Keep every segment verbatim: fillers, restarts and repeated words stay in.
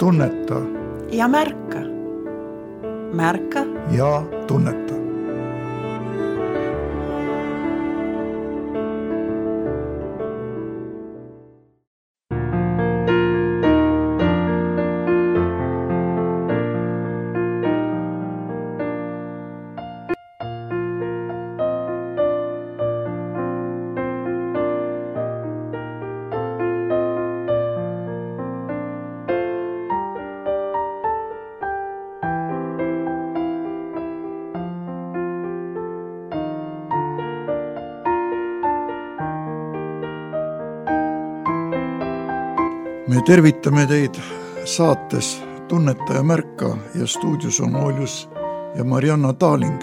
tunneta ja märka. Märka ja tunneta. Me tervitame teid saates Tunneta ja märka ja stuudios on Oljus ja Marianna Taaling.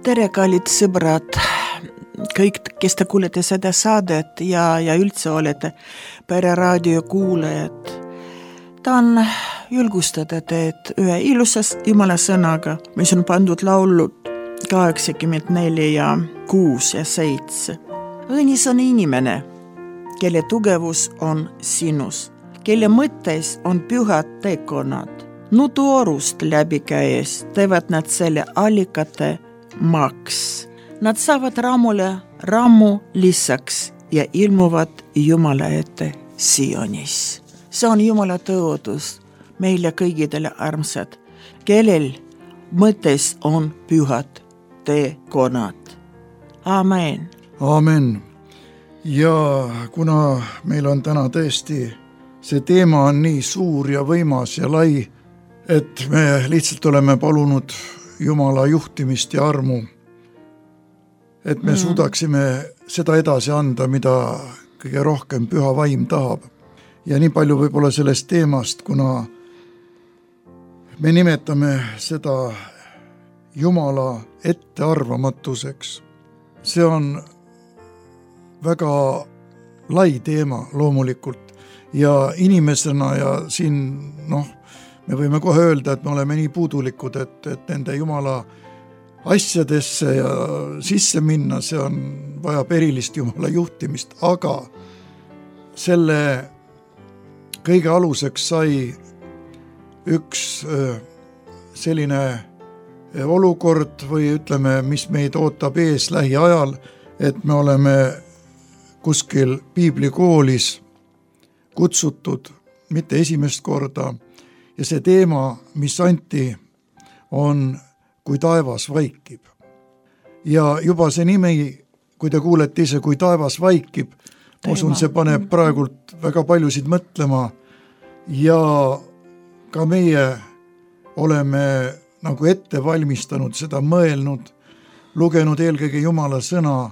Tere, kallid sõbrad, kõik, kes te kuulete seda saadet ja, ja üldse olete Pereraadio kuulajad. Tahan julgustada teid ühe ilusas Jumala sõnaga, mis on pandud laulud kaheksakümmend neli ja kuus ja seitse. Õnnis on inimene, kelle tugevus on sinus, kelle mõttes on pühad tekonad. Nutuorust läbi käes teevad nad selle allikate maks. Nad saavad raamule raamu lisaks ja ilmuvad Jumala ette Sionis. See on Jumala tõotus meile kõigidele armsad, kellel mõttes on pühad tekonad. Amen. Amen. Ja kuna meil on täna tõesti see teema on nii suur ja võimas ja lai, et me lihtsalt oleme palunud Jumala juhtimist ja armu, et me mm. suudaksime seda edasi anda, mida kõige rohkem püha vaim tahab. Ja nii palju võib-olla sellest teemast, kuna me nimetame seda Jumala ettearvamatuseks. See on väga lai teema loomulikult. Ja inimesena ja siin, noh, me võime kohe öelda, et me oleme nii puudulikud, et, et nende Jumala asjadesse ja sisse minna, see on vajab erilist Jumala juhtimist, aga selle kõige aluseks sai üks selline olukord või ütleme, mis meid ootab ees lähiajal, et me oleme kuskil piiblikoolis kutsutud mitte esimest korda ja see teema, mis anti, on Kui taevas vaikib. Ja juba see nimi, kui te kuulete ise Kui taevas vaikib, usun, see paneb praegult väga paljusid mõtlema ja ka meie oleme nagu ette valmistanud seda mõelnud, lugenud eelkõige Jumala sõna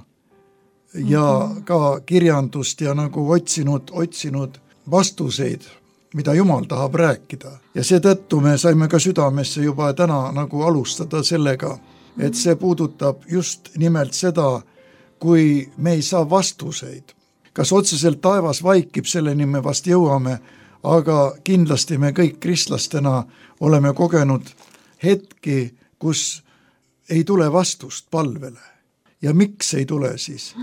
ja ka kirjandust ja nagu otsinud, otsinud vastuseid, mida Jumal tahab rääkida. Ja seetõttu me saime ka südamesse juba täna nagu alustada sellega, et see puudutab just nimelt seda, kui me ei saa vastuseid. Kas otseselt taevas vaikib, selleni me vast jõuame, aga kindlasti me kõik kristlastena oleme kogenud hetki, kus ei tule vastust palvele. Ja miks ei tule siis?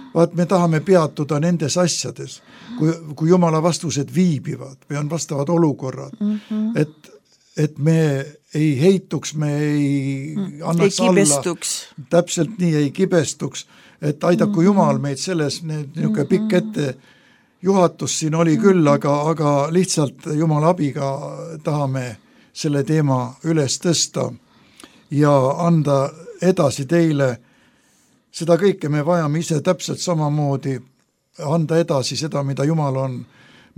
Vaat me tahame peatuda nendes asjades, kui, kui Jumala vastused viibivad või on vastavad olukorrad, mm-hmm. et, et me ei heituks, me ei annaks ei alla, täpselt nii ei kibestuks, et aidaku mm-hmm. Jumal meid selles, niisugune pikk ette juhatus siin oli küll, aga, aga lihtsalt Jumala abiga tahame selle teema üles tõsta ja anda edasi teile. Seda kõike me vajame ise täpselt samamoodi anda edasi seda, mida Jumal on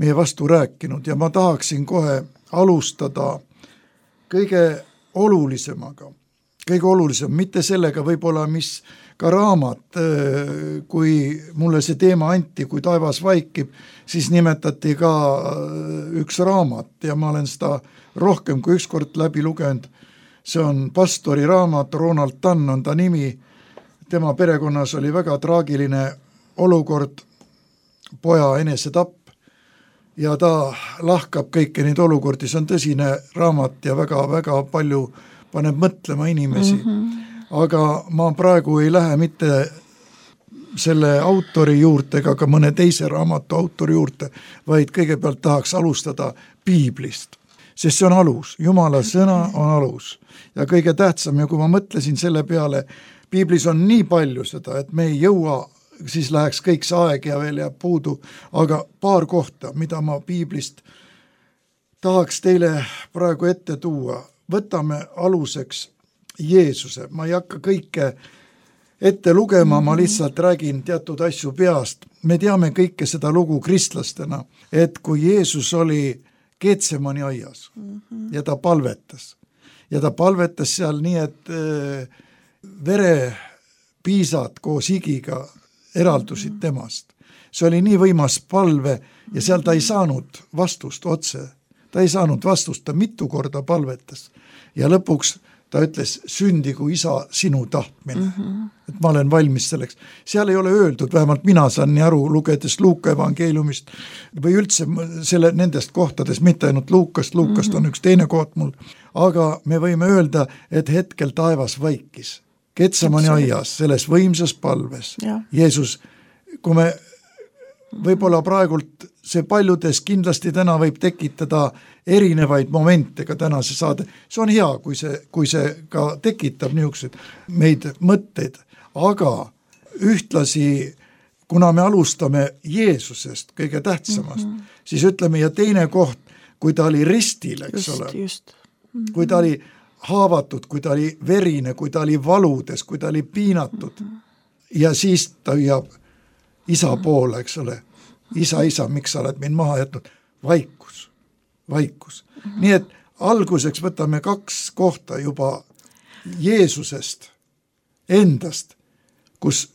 meie vastu rääkinud. Ja ma tahaksin kohe alustada kõige olulisemaga. Kõige olulisem, mitte sellega võib-olla, mis ka raamat, kui mulle see teema anti, Kui taevas vaikib, siis nimetati ka üks raamat ja ma olen seda rohkem kui ükskord läbi lugenud. See on pastori raamat, Ronald Tann on ta nimi. Tema perekonnas oli väga traagiline olukord, poja enesetapp ja ta lahkab kõiki neid olukordi, see on tõsine raamat ja väga-väga palju paneb mõtlema inimesi. Mm-hmm. Aga ma praegu ei lähe mitte selle autori juurde ega ka mõne teise raamatu autori juurde, vaid kõigepealt tahaks alustada piiblist. sest see on alus, Jumala sõna on alus. Ja kõige tähtsam, ja kui ma mõtlesin selle peale, piiblis on nii palju seda, et me ei jõua, siis läheks kõik see aeg ja veel jääb puudu, aga paar kohta, mida ma piiblist tahaks teile praegu ette tuua. Võtame aluseks Jeesuse, ma ei hakka kõike ette lugema, ma lihtsalt räägin teatud asju peast. Me teame kõike seda lugu kristlastena, et kui Jeesus oli Getsemani aias ja ta palvetas, ja ta palvetas seal nii, et verepiisad koos higiga eraldusid temast. See oli nii võimas palve ja seal ta ei saanud vastust otse. Ta ei saanud vastust, ta mitu korda palvetas ja lõpuks ta ütles, sündigu isa sinu tahtmine, mm-hmm. et ma olen valmis selleks. Seal ei ole öeldud, vähemalt mina saan nii aru, lugedes Luuka evangeeliumist või üldse selle, nendest kohtades, mitte ainult Luukast, Luukast mm-hmm. on üks teine koht mul, aga me võime öelda, et hetkel taevas vaikis. Getsemani aias, selles võimsas palves. Ja. Jeesus, kui me võib-olla praegult see paljudes kindlasti täna võib tekitada erinevaid momente ka tänase saade. See on hea, kui see, kui see ka tekitab niisugused meid mõtteid, aga ühtlasi, kuna me alustame Jeesusest kõige tähtsamast, mm-hmm. siis ütleme ja teine koht, kui ta oli ristil, eks just, ole, just. Mm-hmm. kui ta oli haavatud, kui ta oli verine, kui ta oli valudes, kui ta oli piinatud mm-hmm. ja siis ta hüüab isa poole, eks ole, isa, isa, miks sa oled mind maha jätnud? Vaikus, vaikus. Mm-hmm. Nii et alguseks võtame kaks kohta juba Jeesusest endast, kus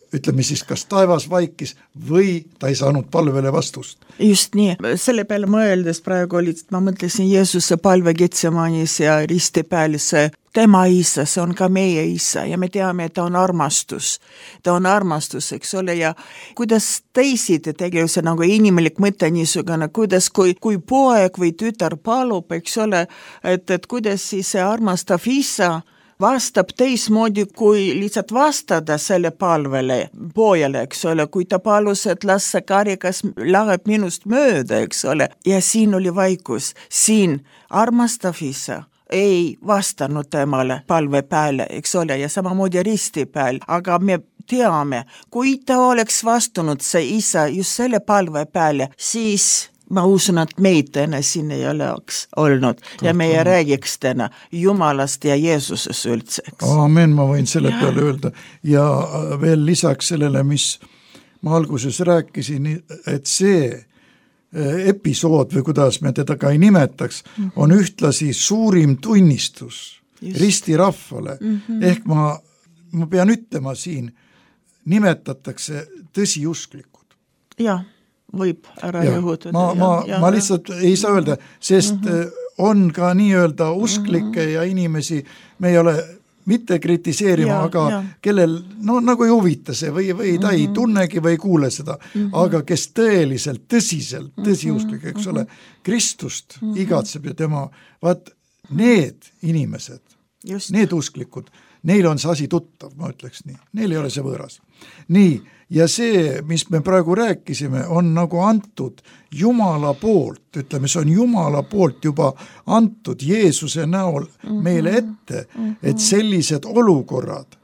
ütleme siis, kas taevas vaikis või ta ei saanud palvele vastust. Just nii, selle peale mõeldes praegu oli, ma mõtlesin Jeesuse palve Getsemanis ja risti peal see tema isa, see on ka meie isa ja me teame, et ta on armastus. Ta on armastus, eks ole, ja kuidas teisiti tegelikult see nagu inimlik mõte niisugune, kuidas kui, kui poeg või tütar palub, eks ole, et, et kuidas siis see armastav isa vastab teismoodi, kui lihtsalt vastada selle palvele pojale, eks ole, kui ta palus, et las see karikas läheb minust mööda, eks ole, ja siin oli vaikus, siin armastav isa ei vastanud temale palve peale, eks ole, ja samamoodi risti peal, aga me teame, kui ta oleks vastanud see isa just selle palve peale, siis ma usun, et meid täna siin ei oleks olnud Tohtan. Ja meie räägiks täna Jumalast ja Jeesuses üldse. Aamen, ma võin selle ja. peale öelda. Ja veel lisaks sellele, mis ma alguses rääkisin, et see episood või kuidas me teda ka ei nimetaks, mm-hmm. on ühtlasi suurim tunnistus Just. risti rahvale. Mm-hmm. Ehk ma, ma pean ütlema siin, nimetatakse tõsiusklikud. Jah. Võib ära jõhutada. Ma, ma, ja, ma lihtsalt ja. ei saa öelda, sest mm-hmm. on ka nii-öelda usklikke mm-hmm. ja inimesi, me ei ole mitte kritiseerima, ja, aga ja. kellel, no nagu ei huvita see või, või ta mm-hmm. ei tunnegi või ei kuule seda, mm-hmm. aga kes tõeliselt, tõsiselt, tõsiusklik, eks ole, Kristust mm-hmm. igatseb ja tema, vaat need inimesed, Just. need usklikud, neil on see asi tuttav, ma ütleks nii, neil ei ole see võõras. Nii, ja see, mis me praegu rääkisime, on nagu antud Jumala poolt, ütleme, see on Jumala poolt juba antud Jeesuse näol mm-hmm. meile ette, mm-hmm. et sellised olukorrad,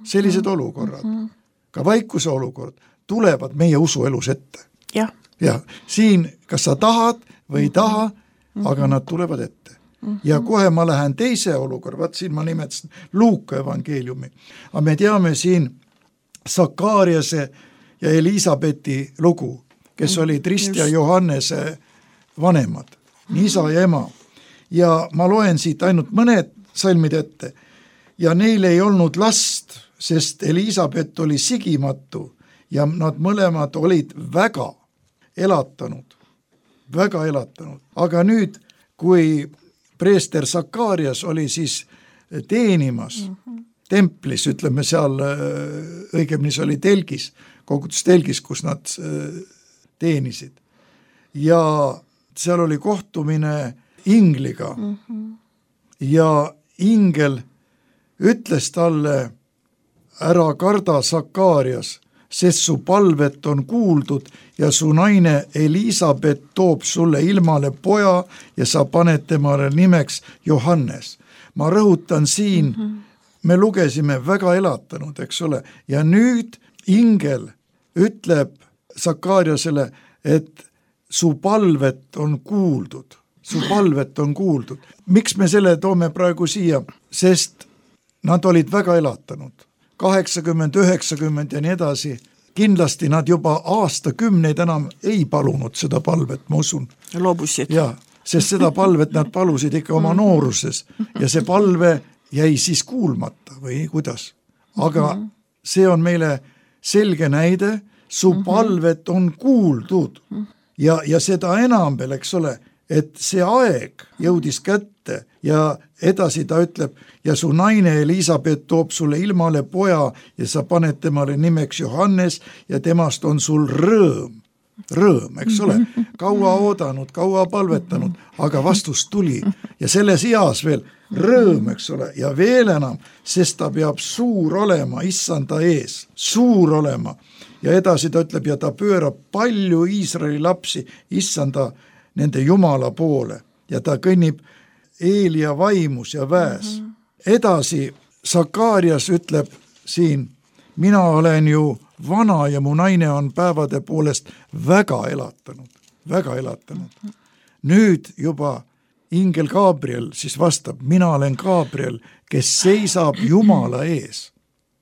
sellised mm-hmm. olukorrad, ka vaikuse olukord, tulevad meie usuelus ette. Jah. Ja siin, kas sa tahad või ei taha, mm-hmm. aga nad tulevad ette. Mm-hmm. Ja kohe ma lähen teise olukorra, vaat siin ma nimetasin Luuka evangeeliumi, aga me teame siin Sakariase ja Elisabethi lugu, kes olid Rist ja Johannese vanemad, isa ja ema. Ja ma loen siit ainult mõned salmid ette ja neil ei olnud last, sest Elisabeth oli sigimatu ja nad mõlemad olid väga elatanud, väga elatanud. Aga nüüd, kui preester Sakarias oli siis teenimas mm-hmm. templis, ütleme seal, õigemini see oli telgis, kogutus telgis, kus nad teenisid. Ja seal oli kohtumine ingliga mm-hmm. ja ingel ütles talle, ära karda Sakarias, sest su palvet on kuuldud ja su naine Elisabeth toob sulle ilmale poja ja sa paned temale nimeks Johannes. Ma rõhutan siin, mm-hmm. me lugesime väga elatanud, eks ole, ja nüüd ingel ütleb Sakariasele, et su palvet on kuuldud, su palvet on kuuldud. Miks me selle toome praegu siia? Sest nad olid väga elatanud, kaheksakümmend, üheksakümmend ja nii edasi. Kindlasti nad juba aastakümneid enam ei palunud seda palvet, ma usun. Loobusid. Ja, sest seda palvet nad palusid ikka oma nooruses ja see palve jäi siis kuulmata või kuidas. Aga see on meile selge näide, su palvet on kuuldud ja, ja seda enam veel, eks ole, et see aeg jõudis kätte ja edasi ta ütleb, ja su naine Elisabeth toob sulle ilmale poja ja sa paned temale nimeks Johannes ja temast on sul rõõm. Rõõm, eks ole, kaua oodanud, kaua palvetanud, aga vastus tuli ja selles eas veel rõõm, eks ole, ja veel enam, sest ta peab suur olema issanda ees, suur olema. Ja edasi ta ütleb, ja ta pöörab palju Iisraeli lapsi issanda nende Jumala poole ja ta kõnnib Eelia vaimus ja väes. Mm-hmm. Edasi Sakarias ütleb siin, mina olen ju vana ja mu naine on päevade poolest väga elatanud, väga elatanud. Mm-hmm. Nüüd juba ingel Gabriel siis vastab, mina olen Gabriel, kes seisab Jumala ees.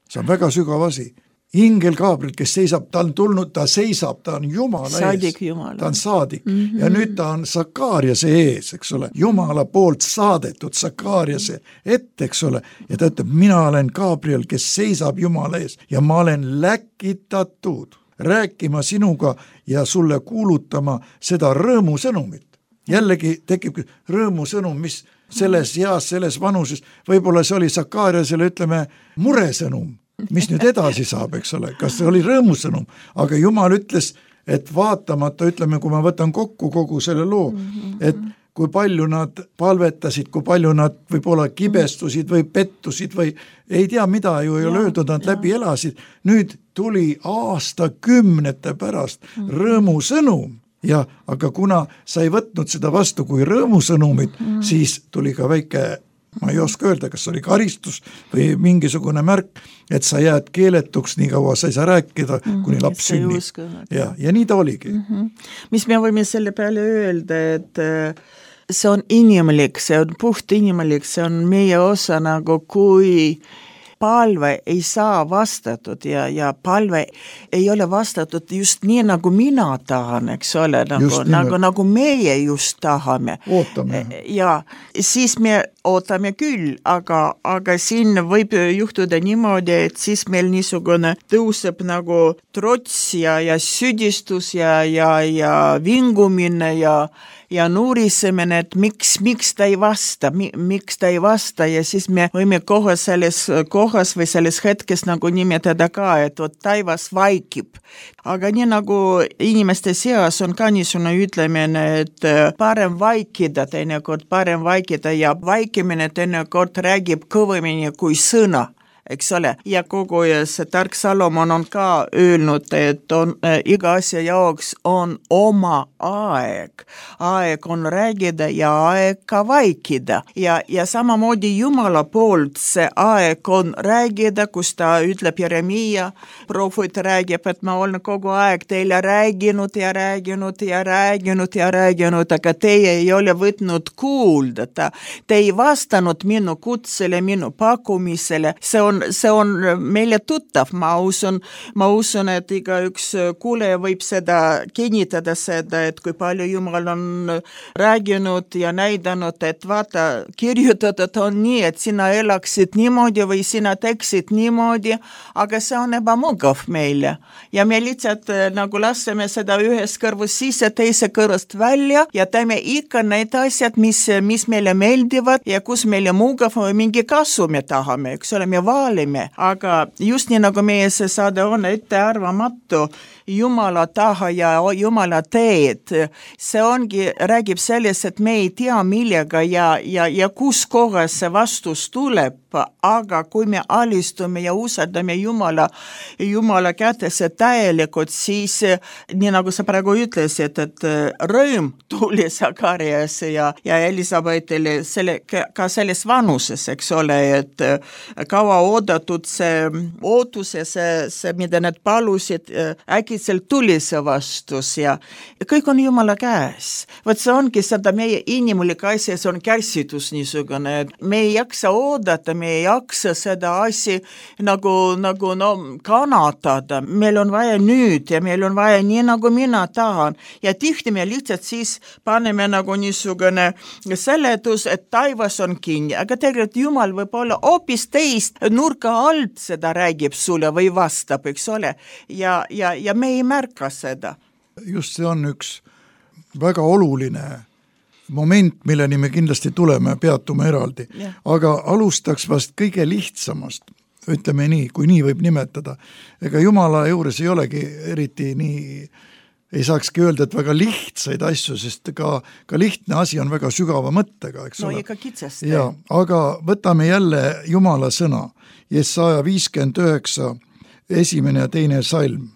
See on väga sügav asi. Ingel Gabriel, kes seisab, ta on tulnud, ta seisab, ta on Jumala saadik ees. Jumala. Ta on saadik. Mm-hmm. Ja nüüd ta on Sakariase ees, eks ole. Jumala poolt saadetud Sakariase ette, eks ole. Ja ta ütleb, mina olen Gabriel, kes seisab Jumala ees ja ma olen läkitatud rääkima sinuga ja sulle kuulutama seda rõõmusõnumit. Jällegi tekib rõõmusõnum, mis selles eas, selles vanuses, võib-olla see oli Sakariasele, ütleme, muresõnum. Mis nüüd edasi saab, eks ole, kas see oli rõõmusõnum, aga Jumal ütles, et vaatamata, ütleme, kui ma võtan kokku kogu selle loo, et kui palju nad palvetasid, kui palju nad võib-olla kibestusid või pettusid või ei tea mida ju ei ole öeldud, nad läbi elasid, nüüd tuli aastakümnete pärast rõõmusõnum ja, aga kuna sa ei võtnud seda vastu kui rõõmusõnumit, siis tuli ka väike ma ei oska öelda, kas oli karistus või mingisugune märk, et sa jääd keeletuks nii kaua, sa ei saa rääkida, kuni laps sünnib. Ja, ja nii ta oligi. Mm-hmm. Mis me võime selle peale öelda, et see on inimlik, see on puht inimlik, see on meie osa nagu kui palve ei saa vastatud ja, ja palve ei ole vastatud just nii, nagu mina tahan, eks ole, nagu, nagu, nagu meie just tahame. Ootame. Ja siis me ootame küll, aga, aga siin võib juhtuda niimoodi, et siis meil niisugune tõuseb nagu trots ja, ja süüdistus ja, ja, ja vingumine ja ja nuurisemine, et miks, miks ta ei vasta, miks ta ei vasta ja siis me võime kohe selles kohas või selles hetkes nagu nimetada ka, et vot taivas vaikib. Aga nii nagu inimeste seas on ka niisugune ütlemine, et parem vaikida teinekord, parem vaikida ja vaikimine teinekord räägib kõvemini kui sõna. Eks ole, ja kogu see tark Salomon on ka öelnud, et on, äh, iga asja jaoks on oma aeg. Aeg on räägida ja aeg ka vaikida. Ja, ja samamoodi Jumala poolt see aeg on räägida, kus ta ütleb Jeremia, prohvet räägib, et ma olen kogu aeg teile rääginud ja rääginud ja rääginud ja rääginud, aga teie ei ole võtnud kuulda. Te ei vastanud minu kutsele, minu pakkumisele. See on see on meile tuttav, ma usun, ma usun, et iga üks kuuleja võib seda kinnitada seda, et kui palju Jumal on rääginud ja näidanud, et vaata, kirjutatud on nii, et sina elaksid niimoodi või sina teksid niimoodi, aga see on ebamugav meile. Ja me lihtsalt nagu laseme seda ühes kõrvus sisse, teise kõrvust välja ja teeme ikka need asjad, mis, mis meile meeldivad ja kus meile mugav või mingi kasu me tahame, eks ole, me vaalime, aga just nii nagu meie see saade on ettearvamatu Jumala taha ja Jumala teed. See ongi, räägib sellest, et me ei tea millega ja, ja, ja kus kohas see vastus tuleb, aga kui me alistume ja usaldame Jumala, Jumala kätesse täielikult, siis nii nagu sa praegu ütlesid, et rõõm tuli Sakarias ja, ja Elisabetile selle, ka selles vanuses, eks ole, et kaua oodatud see ootus ja see, see, mida need palusid, äkitselt tuli see vastus ja kõik on Jumala käes. Võt see ongi seda meie inimlik asja, see on kärsitus niisugune, et me ei jaksa oodata, me ei jaksa seda asja nagu, nagu no, kannatada. Meil on vaja nüüd ja meil on vaja nii, nagu mina tahan. Ja tihti me lihtsalt siis paneme nagu niisugune seletus, et taivas on kinni, aga tegelikult Jumal võib olla hoopis teist nurka alt seda räägib sulle või vastab, eks ole, ja, ja, ja me ei märka seda. Just see on üks väga oluline moment, milleni me kindlasti tuleme, peatume eraldi. Yeah. Aga alustaks vast kõige lihtsamast, ütleme nii, kui nii võib nimetada. Ega Jumala juures ei olegi eriti nii, ei saakski öelda, et väga lihtsaid asju, sest ka, ka lihtne asi on väga sügava mõttega, eks no, ole. No ikka kitsasti. Ja, aga võtame jälle Jumala sõna, Jesaja viiskümmend üheksa, esimene ja teine salm.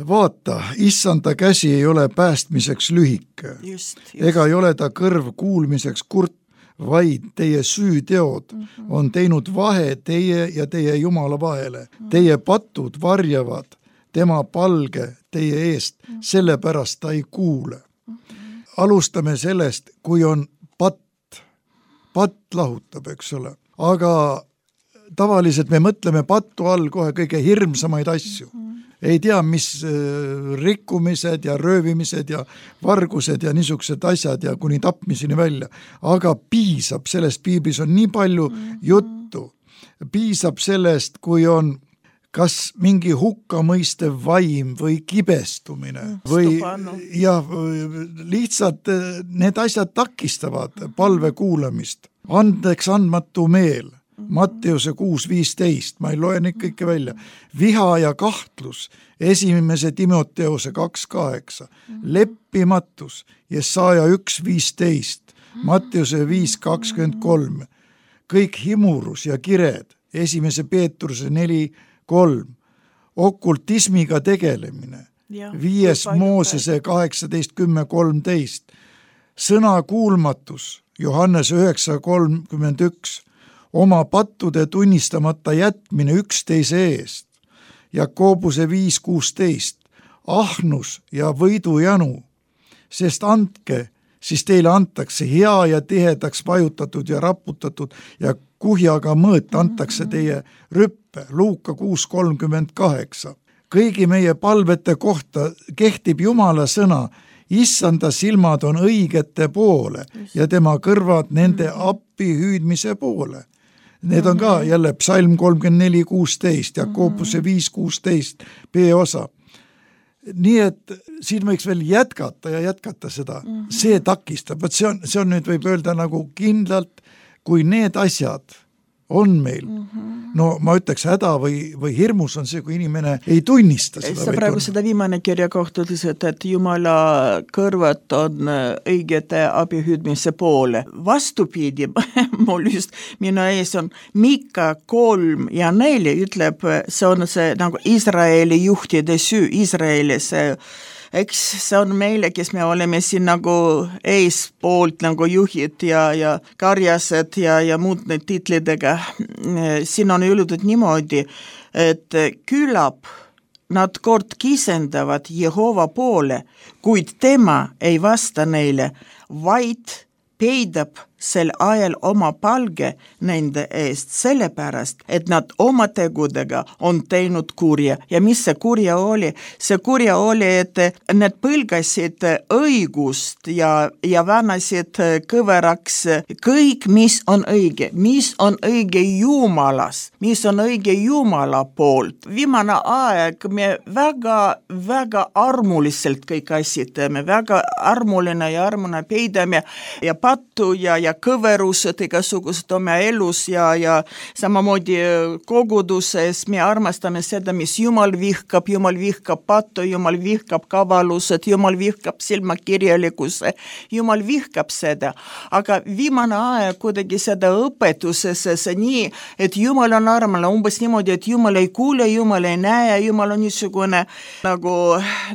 Vaata, issanda käsi ei ole päästmiseks lühike, just, just. Ega ei ole ta kõrv kuulmiseks kurt, vaid teie süüteod mm-hmm. on teinud vahe teie ja teie Jumala vahele. Mm-hmm. Teie patud varjavad tema palge teie eest, mm-hmm. sellepärast ta ei kuule. Mm-hmm. Alustame sellest, kui on patt, patt lahutab, eks ole, aga tavaliselt me mõtleme pattu all kohe kõige hirmsamaid asju. Mm-hmm. Ei tea, mis rikkumised ja röövimised ja vargused ja niisugused asjad ja kuni tapmiseni välja. Aga piisab sellest, piiblis on nii palju juttu. Piisab sellest, kui on kas mingi hukkamõistev vaim või kibestumine või ja lihtsalt need asjad takistavad palve kuulamist. Andeks andmatu meel. Matteuse kuus viisteist, ma ei loe neid kõike välja. Viha ja kahtlus, esimese Timoteuse kaks kaheksa, leppimatus, Jesaja üks viisteist, Matteuse viis kakskümmend kolm, kõik himurus ja kired, esimese Peetruse neli kolm, okultismiga tegelemine, ja, viies Moosese kaheksateist kümme kolmteist, sõna kuulmatus, Johannes üheksa kolmkümmend üks, oma pattude tunnistamata jätmine üksteise eest, Jakobuse viis kuusteist, ahnus ja võidujanu, sest andke, siis teile antakse hea ja tihedaks vajutatud ja raputatud ja kuhjaga mõõt antakse teie rüppe, Luuka kuus kolmkümmend kaheksa. Kõigi meie palvete kohta kehtib Jumala sõna, issanda silmad on õigete poole ja tema kõrvad nende appi hüüdmise poole. Need on ka jälle psalm kolmkümmend neli kuusteist, Jakobuse viis kuusteist, B-osa. Nii et siin võiks veel jätkata ja jätkata seda. See takistab, see on, see on nüüd võib öelda nagu kindlalt, kui need asjad on meil. No ma ütleks häda või, või hirmus on see, kui inimene ei tunnista seda. Sa praegu seda viimane kirja kohta ütlesid, et Jumala kõrvad on õigete abihüüdmise poole. Vastupidi, mul just minu ees on Mika kolm ja neli ütleb, see on see nagu Iisraeli juhtide süü, Iisraeli see eks see on meile, kes me oleme siin nagu eespoolt nagu juhid ja, ja karjased ja, ja muud need titlidega. Siin on öeldud niimoodi, et küllap nad kord kisendavad Jehova poole, kuid tema ei vasta neile, vaid peidab sel ajal oma palge nende eest, sellepärast, et nad oma tegudega on teinud kurja. Ja mis see kurja oli? See kurja oli, et need põlgasid õigust ja, ja vänasid kõveraks kõik, mis on õige, mis on õige Jumalas, mis on õige Jumala poolt. Viimane aeg me väga, väga armuliselt kõik asjad teeme, väga armuline ja armuna peidame ja pattu ja, ja ja kõverused igasugused oma elus ja, ja samamoodi koguduses me armastame seda, mis Jumal vihkab, Jumal vihkab pattu, Jumal vihkab kavalused, Jumal vihkab silmakirjalikkuse, Jumal vihkab seda, aga viimane aeg kuidagi seda õpetuses see nii, et Jumal on armane, umbes niimoodi, et Jumal ei kuule, Jumal ei näe, Jumal on niisugune nagu,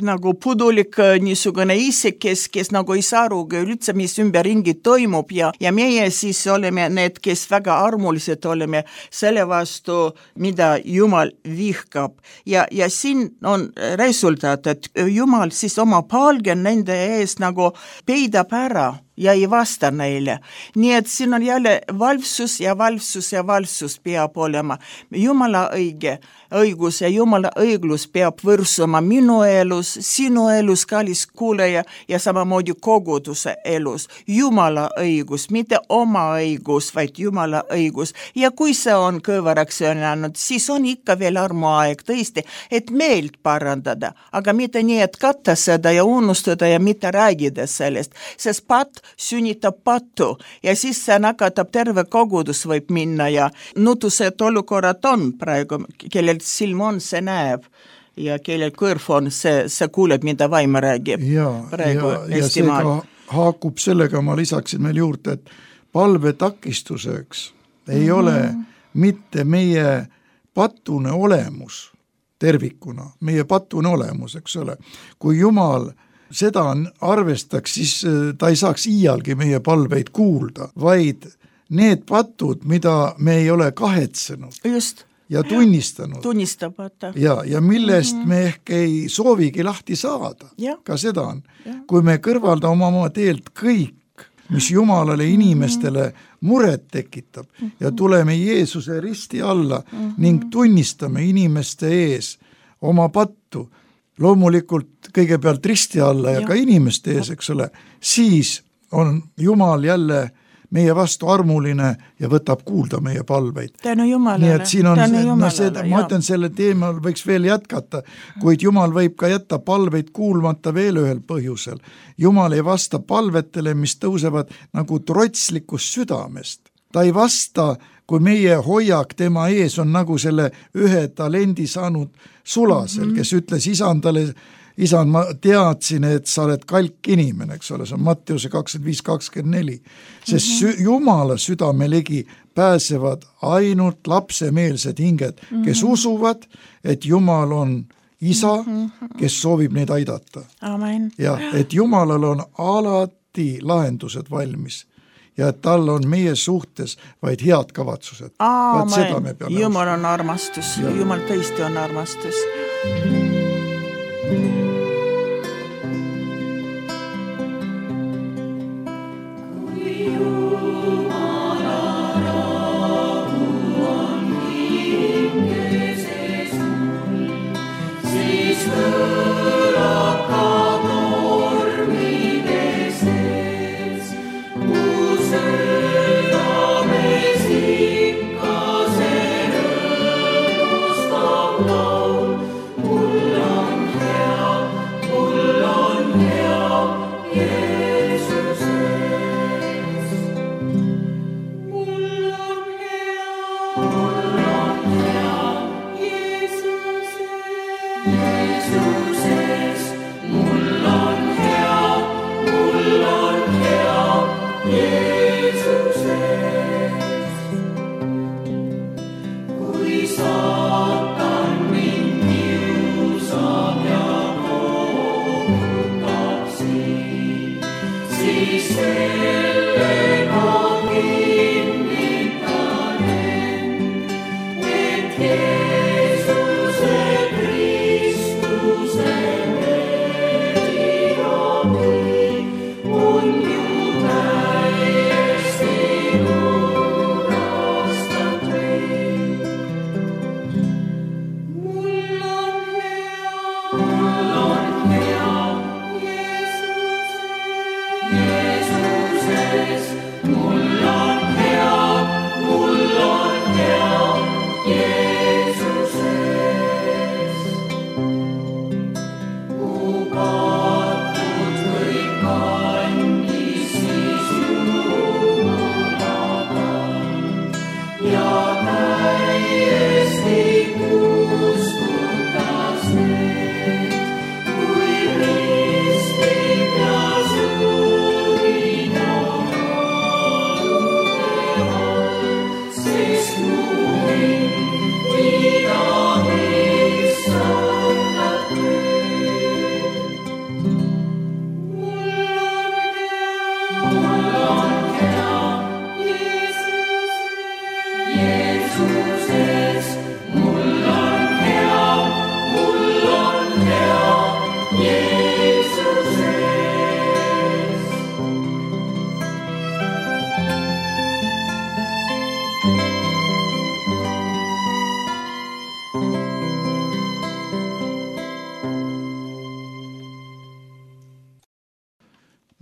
nagu pudulik niisugune isik, kes, kes nagu ei saa aru üldse, mis ümberringi toimub ja, ja meie siis oleme need, kes väga armulised oleme selle vastu, mida Jumal vihkab. Ja, ja siin on resultaat, et Jumal siis oma palge nende ees nagu peidab ära ja ei vasta neile. Nii et siin on jälle valvsus ja valvsus ja valvsus peab olema. Jumala õige, õigus ja Jumala õiglus peab võrsuma minu elus, sinu elus, kallis kuuleja, ja samamoodi koguduse elus. Jumala õigus, mitte oma õigus, vaid Jumala õigus. Ja kui see on kõvaraks jäänud, siis on ikka veel armuaeg tõesti, et meelt parandada, aga mitte nii, et katta seda ja unustada ja mitte räägida sellest, sest pat sünnitab pattu ja siis see nakatab terve kogudus võib minna ja nutused olukorrad on praegu, kellel silm on, see näeb ja kellel kõrv on, see, see kuuleb, mida vaim räägib ja, praegu ja, ja see ka haakub sellega, ma lisaksin meil juurde, et palve takistuseks ei mm-hmm. ole mitte meie patune olemus tervikuna, meie patune olemus, eks ole, kui Jumal seda arvestaks, siis ta ei saaks iialgi meie palveid kuulda, vaid need patud, mida me ei ole kahetsenud Just. ja tunnistanud. Tunnistamata. Ja, ja millest mm-hmm. me ehk ei soovigi lahti saada. Ja. Ka seda on. Ja. Kui me kõrvaldame oma teelt kõik, mis Jumalale inimestele muret tekitab mm-hmm. ja tuleme Jeesuse risti alla mm-hmm. ning tunnistame inimeste ees oma pattu, loomulikult kõigepealt risti alla ja, ja ka inimeste ees, eks ole, siis on Jumal jälle meie vastu armuline ja võtab kuulda meie palveid. Tänu Jumalale. Nii et siin on, no seda, ma ütlen, selle teemal võiks veel jätkata, kuid Jumal võib ka jätta palveid kuulmata veel ühel põhjusel. Jumal ei vasta palvetele, mis tõusevad nagu trotslikust südamest. Ta ei vasta, kui meie hoiak tema ees on nagu selle ühe talendi saanud sulasel, kes ütles isandale, isand, ma teadsin, et sa oled kalk inimene, eks ole, see on Matteuse kakskümmend viis kakskümmend neli, sest sü- Jumala südamelegi pääsevad ainult lapsemeelsed hinged, kes usuvad, et Jumal on isa, kes soovib neid aidata. Amen. Ja et Jumalal on alati lahendused valmis. Ja et tal on meie suhtes vaid head kavatsused. Aamen. Jumal on armastus. Ja. Jumal tõesti on armastus.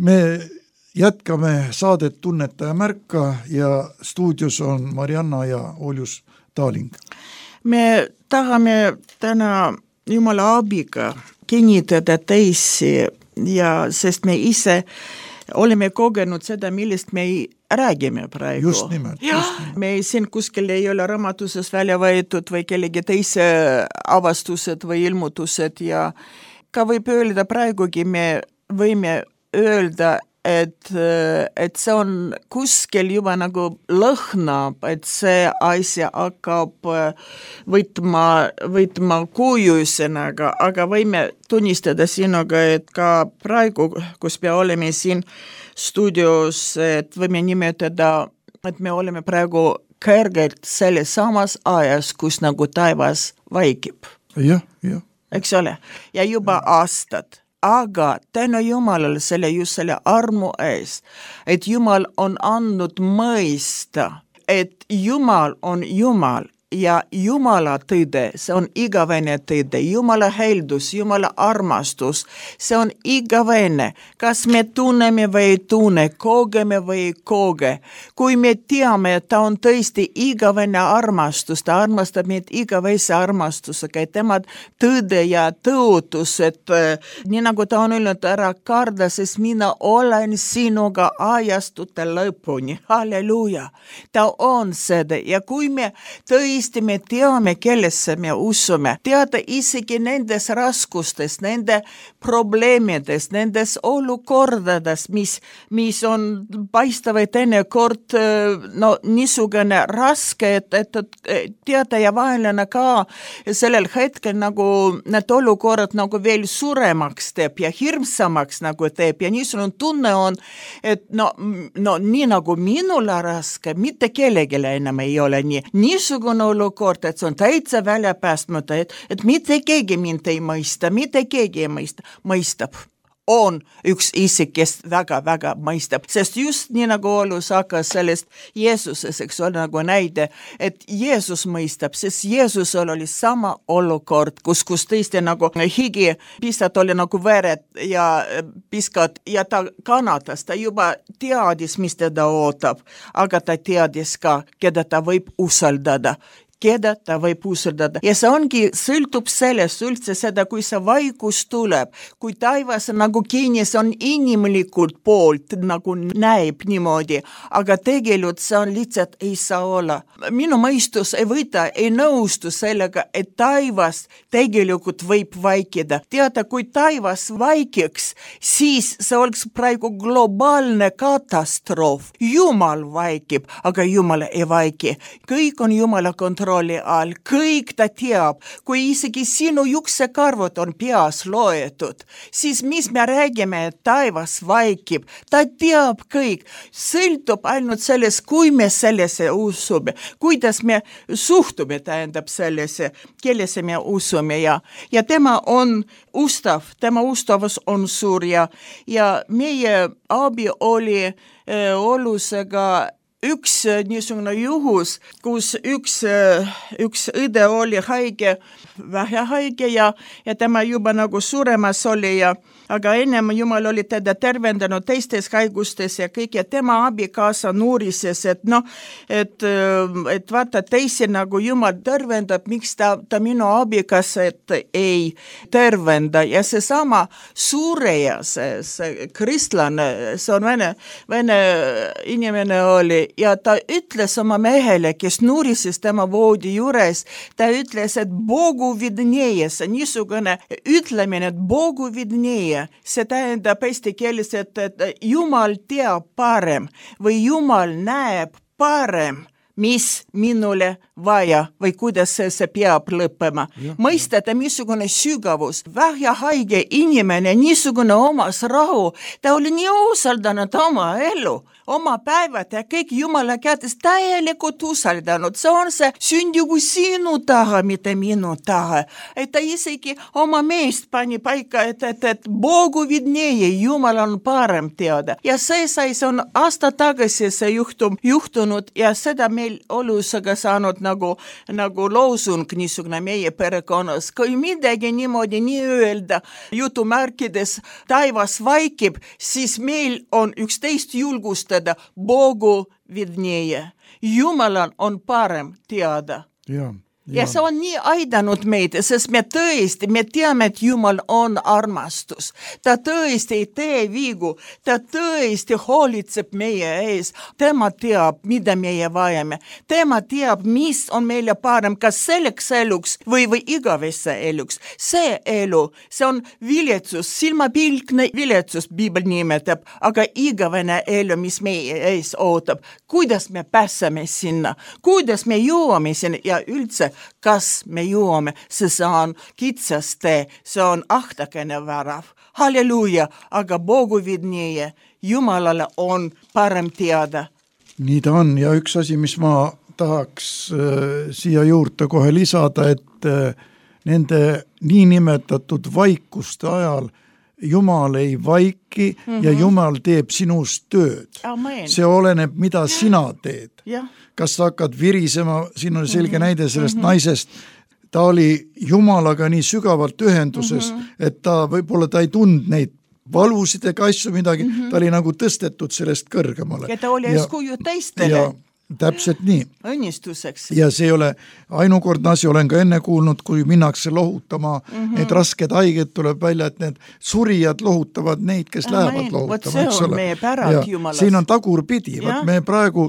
Me jätkame saadet Tunnetaja märka ja stuudios on Marianna ja Oljus Taaling. Me tahame täna Jumala abiga kinnitada teisi, ja sest me ise oleme kogenud seda, millest me ei räägime praegu. Just nimelt. Ja, just nimelt. Me siin kuskil ei ole raamatuses välja võetud või kellegi teise avastused või ilmutused, ja ka võib öelda praegugi me võime öelda, et, et see on kuskil juba nagu lõhnab, et see asja hakkab võtma, võtma kujusõnaga, aga võime tunnistada sinuga, et ka praegu, kus me oleme siin stuudios, et võime nimetada, et me oleme praegu kõrgelt selles samas ajas, kus nagu taevas vaikib. Jah, jah. Eks ole? Ja juba aastad. Aga tänu Jumalale selle just selle armu ees, et Jumal on andnud mõista, et Jumal on Jumal ja Jumala tõde, see on igavene tõde, Jumala heldus, Jumala armastus, see on igavene, kas me tunneme või ei tunne, kogeme või ei koge. Kui me teame, et ta on tõesti igavene armastus, ta armastab meid igavese armastusega, et tema tõde ja tõotus, et nii nagu ta on öelnud, ära karda, sest mina olen sinuga ajastute lõpuni. Halleluuja! Ta on seda, ja kui me tõesti me teame, kellesse me usume, teada isegi nendes raskustes, nende probleemides, nendes olukordades, mis, mis on paistavad teinekord no, niisugune raske, et, et, et teada ja vaenlane ka sellel hetkel nagu need olukorrad nagu veel suuremaks teeb ja hirmsamaks nagu teeb ja niisugune tunne on, et no, no nii nagu minule raske, mitte kellegile enam ei ole nii. Niisugune olukord, et see on täitsa välja päästmata, et, et mitte keegi mind ei mõista, mitte keegi ei mõista, mõistab. On üks isik, kes väga-väga mõistab, sest just nii nagu Olus hakkas sellest Jeesuses, eks ole nagu näide, et Jeesus mõistab, sest Jeesusel oli sama olukord, kus, kus tõesti nagu higi pistad oli nagu vered ja piskad ja ta kannatas, ta juba teadis, mis teda ootab, aga ta teadis ka, keda ta võib usaldada. Keda ta võib usaldada. Ja see ongi, sõltub sellest üldse seda, kui see vaikus tuleb, kui taivas nagu kinni, see on inimlikult poolt, nagu näib niimoodi, aga tegelikult see on lihtsalt ei saa olla. Minu mõistus ei võta, ei nõustu sellega, et taivas tegelikult võib vaikida. Teada, kui taivas vaikiks, siis see oleks praegu globaalne katastroof. Jumal vaikib, aga Jumal ei vaiki. Kõik on Jumala kontrolli all, kõik ta teab, kui isegi sinu juksekarvud on peas loetud, siis mis me räägime, et taevas vaikib, ta teab kõik, sõltub ainult sellest, kui me sellesse usume, kuidas me suhtume, tähendab sellesse, kellesse me usume ja, ja tema on ustav, tema ustavus on suur ja, ja meie abi oli äh, Olusega üks niisugune juhus, kus üks, üks õde oli haige, vähe haige ja, ja tema juba nagu suremas oli ja aga ennem Jumal oli teda tervendanud teistes haigustes ja kõik ja tema abikaasa nuurises, et noh, et, et vaata teisi nagu Jumal tervendab, miks ta, ta minu abikaasat ei tervenda ja seesama suureja, see, see kristlane, see on vene, vene inimene oli ja ta ütles oma mehele, kes nuurises tema voodi juures, ta ütles, et Bogu vidneje, see niisugune ütlemine, et Bogu vidneje, see tähendab eesti keeles, et, et Jumal teab parem või Jumal näeb parem, mis minule vaja või kuidas see, see peab lõppema. Mõistate, missugune sügavus, vähjahaige inimene, niisugune omas rahu, ta oli nii usaldanud oma elu, oma päevad ja kõik Jumala kätes täielikult usaldanud. See on see sündigu sinu taha, mitte minu taha. Et ta isegi oma meest pani paika, et, et, et Bogu vidneje, Jumal on parem teada. Ja see sai, see on aasta tagasi see juhtum juhtunud ja seda meil olusega saanud nagu, nagu loosung niisugune meie perekonnas. Kui midagi niimoodi nii öelda, jutumärkides taivas vaikib, siis meil on üksteist julgustada Bogu vidneje. Jumalal on parem teada. Jaa. Ja. ja see on nii aidanud meid, sest me tõesti, me teame, et Jumal on armastus. Ta tõesti ei tee vigu, ta tõesti hoolitseb meie ees. Tema teab, mida meie vajame. Tema teab, mis on meile parem, kas selleks eluks või, või igavesse eluks. See elu, see on viletsus, silmapilkne viletsus, Biibel nimetab, aga igavene elu, mis meie ees ootab. Kuidas me pääseme sinna? Kuidas me jõuame sinna ja üldse kas me jõuame, see on kitsas tee, see on ahtakene värav. Halleluuja, aga Bogu vidneje, Jumalale on parem teada. Nii ta on ja üks asi, mis ma tahaks äh, siia juurde kohe lisada, et äh, nende niinimetatud vaikuste ajal Jumal ei vaiki mm-hmm. ja Jumal teeb sinust tööd. Amen. See oleneb, mida sina teed. Ja. Kas sa hakkad virisema, siin on selge mm-hmm. näide sellest mm-hmm. naisest, ta oli Jumalaga nii sügavalt ühenduses, mm-hmm. et ta võib-olla ta ei tund neid valusid ega asju midagi, mm-hmm. ta oli nagu tõstetud sellest kõrgemale. Ja ta oli eskuju teistele. Ja täpselt nii. Õnnistuseks. Ja see ei ole ainukordne asi, olen ka enne kuulnud, kui minnakse lohutama mm-hmm. need rasked haiged, tuleb välja, et need surijad lohutavad neid, kes ah, lähevad lohutama. See on meie pärad Jumalas. Siin on tagurpidi. Me praegu,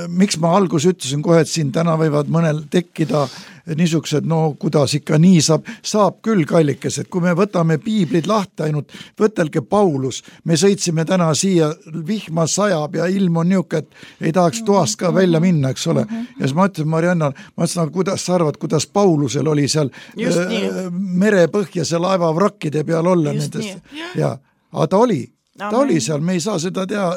miks ma algus ütlesin kohe, et siin täna võivad mõnel tekkida niisugused, no kuidas ikka nii saab, saab küll kallikesed, kui me võtame piiblid lahti ainult, võtelge Paulus, me sõitsime täna siia, vihma sajab ja ilm on niuke, et ei tahaks toast ka välja minna, eks ole. Ja siis ma ütlesin Marianna, ma ütlesin, kuidas sa arvad, kuidas Paulusel oli seal äh, merepõhjase laeva vrakkide peal olla nendest. Ja, aga ta oli. Ta Amen. Oli seal, me ei saa seda teha,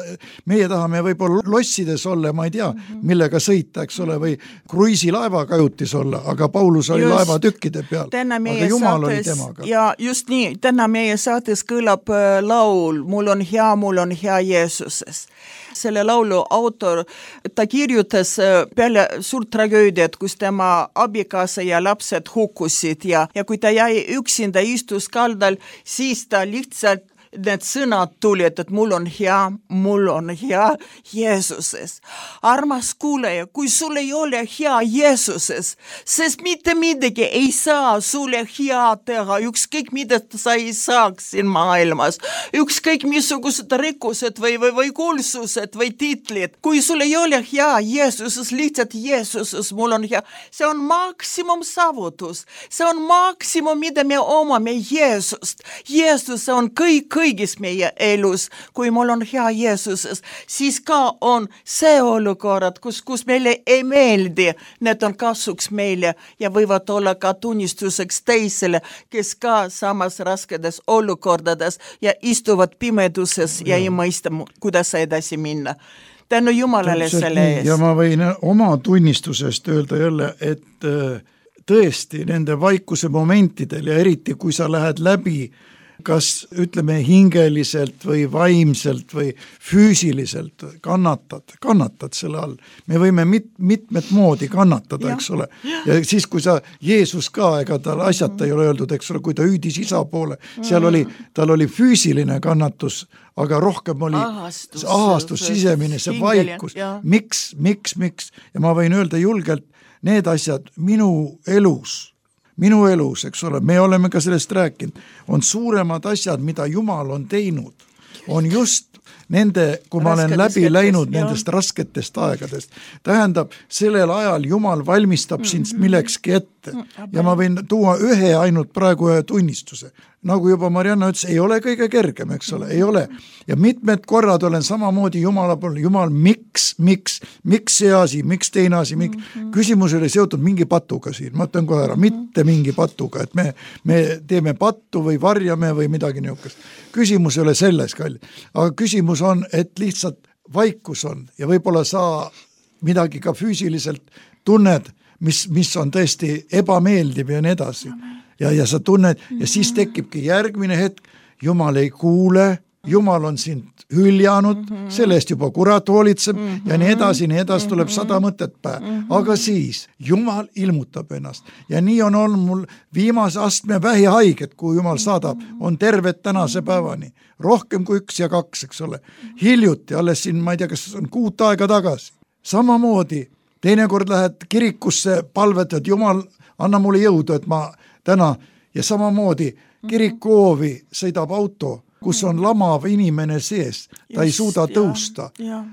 meie tahame võib-olla lossides olla, ma ei tea, millega sõita, eks ole, või kruiisilaeva kajutis olla, aga Paulus oli just, laeva tükkide peal, aga Jumal saates, oli temaga. Ja just nii, täna meie saates kõlab äh, laul, mul on hea, mul on hea Jeesuses. Selle laulu autor, ta kirjutas äh, peale suurt tragöödiat, kus tema abikaasa ja lapsed hukkusid ja, ja kui ta jäi üksinda istus kaldal, siis ta lihtsalt need sõnad tulid, et mul on hea, mul on hea Jeesuses. Armas kuuleja, kui sul ei ole hea Jeesuses, sest mitte midagi ei saa sulle hea teha, ükskõik mida sa ei saaks siin maailmas, ükskõik missugused rikkused või, või, või kuulsused või titlid. Kui sul ei ole hea Jeesuses, lihtsalt Jeesuses, mul on hea, see on maksimum saavutus, see on maksimum, mida me omame Jeesust. Jeesus on kõik, kõik kõigis meie elus, kui mul on hea Jeesuses, siis ka on see olukorrad, kus, kus meile ei meeldi, need on kasuks meile ja võivad olla ka tunnistuseks teisele, kes ka samas raskedes olukordades ja istuvad pimeduses ja, ja ei mõista, kuidas edasi minna. Tänu Jumalale selle ees. Ja ma võin oma tunnistusest öelda jälle, et tõesti nende vaikuse momentidel ja eriti kui sa lähed läbi kas ütleme hingeliselt või vaimselt või füüsiliselt kannatad, kannatad selle all. Me võime mit, mitmet moodi kannatada, ja. Eks ole. Ja siis, kui sa, Jeesus ka, ega tal asjata ei ole öeldud, eks ole, kui ta hüüdis isa poole, seal oli, tal oli füüsiline kannatus, aga rohkem oli ahastus, ahastus sisemine, see vaikus. Miks, miks, miks? Ja ma võin öelda julgelt, need asjad minu elus, minu elus, eks ole, me oleme ka sellest rääkinud, on suuremad asjad, mida Jumal on teinud, on just nende, kui ma olen läbi läinud nendest rasketest aegadest, tähendab, sellel ajal Jumal valmistab sind millekski ette ja ma võin tuua ühe ainult praegu ühe tunnistuse. Nagu juba Marianna ütles, ei ole kõige kergem, eks ole, ei ole. Ja mitmed korrad olen samamoodi Jumala poole, Jumal, miks, miks, miks see asi, miks teine asi, miks? Küsimus oli seotud mingi patuga siin, ma ütlen kohe ära, mitte mingi patuga, et me, me teeme pattu või varjame või midagi niukest. Küsimus ei ole selles, kalli. Aga küsimus on, et lihtsalt vaikus on ja võib-olla sa midagi ka füüsiliselt tunned, mis, mis on tõesti ebameeldiv ja nii edasi. Ja, ja sa tunned ja siis tekibki järgmine hetk, Jumal ei kuule, Jumal on sind hüljanud, sellest juba kurat hoolitseb ja nii edasi, nii edasi tuleb sada mõtet päe. Aga siis Jumal ilmutab ennast ja nii on olnud mul viimase astme vähihaiget, kui Jumal saadab, on terved tänase päevani. Rohkem kui üks ja kaks, eks ole. Hiljuti, alles siin, ma ei tea, kas on kuut aega tagasi. Samamoodi, teinekord lähed kirikusse palvetad, Jumal, anna mulle jõudu, et ma täna ja samamoodi kirikoovi sõidab auto, kus on lamav inimene sees, ta ei suuda tõusta,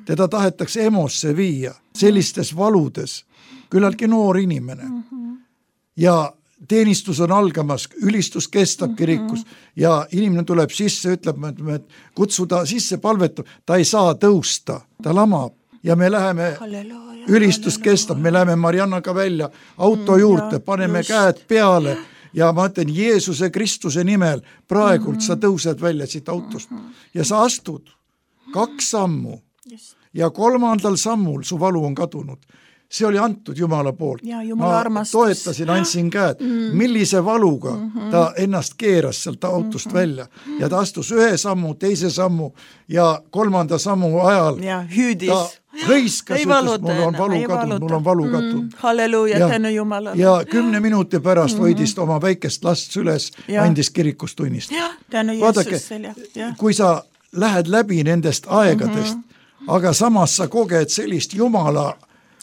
teda tahetakse emosse viia, sellistes valudes, küllaltki noor inimene. Ja teenistus on algamas, ülistus kestab kirikus ja inimene tuleb sisse, ütleb, et kutsuda sisse palvetab, ta ei saa tõusta, ta lamab ja me läheme, ülistus kestab, me läheme Mariannaga välja auto juurde, paneme käed peale ja ma ütlen, Jeesuse Kristuse nimel praegult sa tõused välja siit autost ja sa astud kaks sammu ja kolmandal sammul su valu on kadunud. See oli antud Jumala poolt. Ja, Jumala armastus. Ma toetasin, andsin käed. Millise valuga ta ennast keeras sealt autost välja ja ta astus ühe sammu, teise sammu ja kolmanda sammu ajal ja hüüdis. Ta hõiskas, ütles, mul on valu kadunud, mul on valu kadunud. Mm, halleluuja, tänu Jumalale. Ja kümne minuti pärast mm-hmm. hoidis oma väikest last üles, ja. Andis kirikus tunnist. Ja, tänu Jeesusele. Kui sa lähed läbi nendest aegadest, mm-hmm. aga samas sa koged sellist Jumala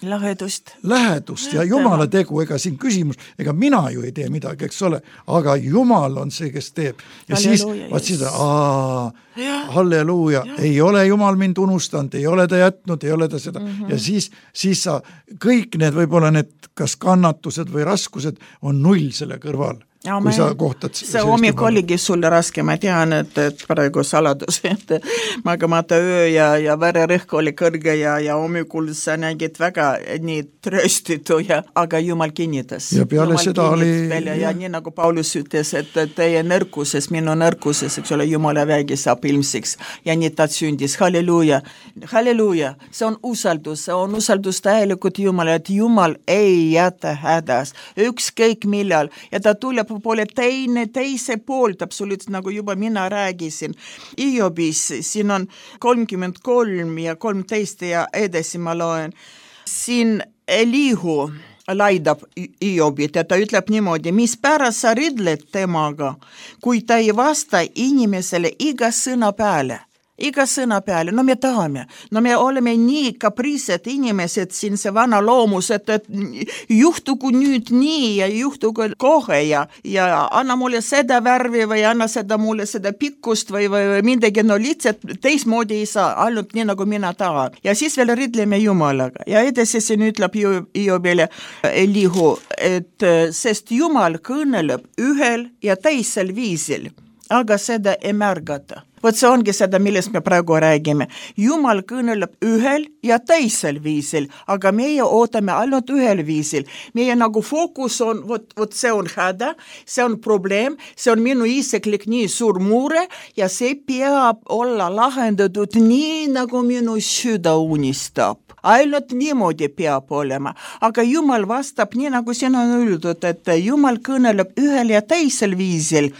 Lähedust. Lähedust ja Jumala tegu, ega siin küsimus, ega mina ju ei tee midagi, eks ole, aga Jumal on see, kes teeb. Ja halleluuja, siis, vaat seda, aa, ja. halleluuja, ja. Ei ole Jumal mind unustanud, ei ole ta jätnud, ei ole ta seda. Mm-hmm. Ja siis, siis sa, kõik need, võib-olla need, kas kannatused või raskused on null selle kõrval. Ja, kui sa kohtad see hommik oligi sulle raske, ma tean, et, et praegu saladus, et magamata öö ja, ja vererõhk oli kõrge ja, ja hommikul sa nägid väga nii tröstitu, ja, aga Jumal kinnitas. Ja peale Jumal seda oli... Ja, ja nii nagu Paulus ütles, et teie nõrkuses, minu nõrkuses, eks ole, Jumala vägi saab ilmsiks ja nii ta sündis. Halleluuja, halleluuja, see on usaldus, see on usaldus täielikult Jumala, et Jumal ei jäta hädas, ükskõik millal ja ta tuleb poole teine, teise poolt, absoluutselt nagu juba mina räägisin. Iobis, siin on kolmkümmend kolm ja kolmteist ja edasi ma loen. Siin Elihu laidab Iobit ja ta ütleb niimoodi, mis pärast sa ridled temaga, kui ta ei vasta inimesele iga sõna peale. Iga sõna peale, no me tahame, no me oleme nii kapriised inimesed siin see vana loomus, et, et juhtugu nüüd nii ja juhtugu kohe ja, ja anna mulle seda värvi või anna seda mulle seda pikkust või, või, või midagi, no lihtsalt teismoodi ei saa, ainult nii nagu mina tahan. Ja siis veel ridleme Jumalaga ja edasi siin ütleb Iobile Elihu, et sest Jumal kõneleb ühel ja teisel viisil, aga seda ei märgata. Vot see ongi seda, millest me praegu räägime. Jumal kõneleb ühel ja teisel viisil, aga meie ootame ainult ühel viisil. Meie nagu fookus on, vot, vot see on häda, see on probleem, see on minu isiklik nii suur mure ja see peab olla lahendatud nii, nagu minu süda unistab. Ainult niimoodi peab olema, aga Jumal vastab nii, nagu siin on öeldud, et Jumal kõneleb ühel ja teisel viisil,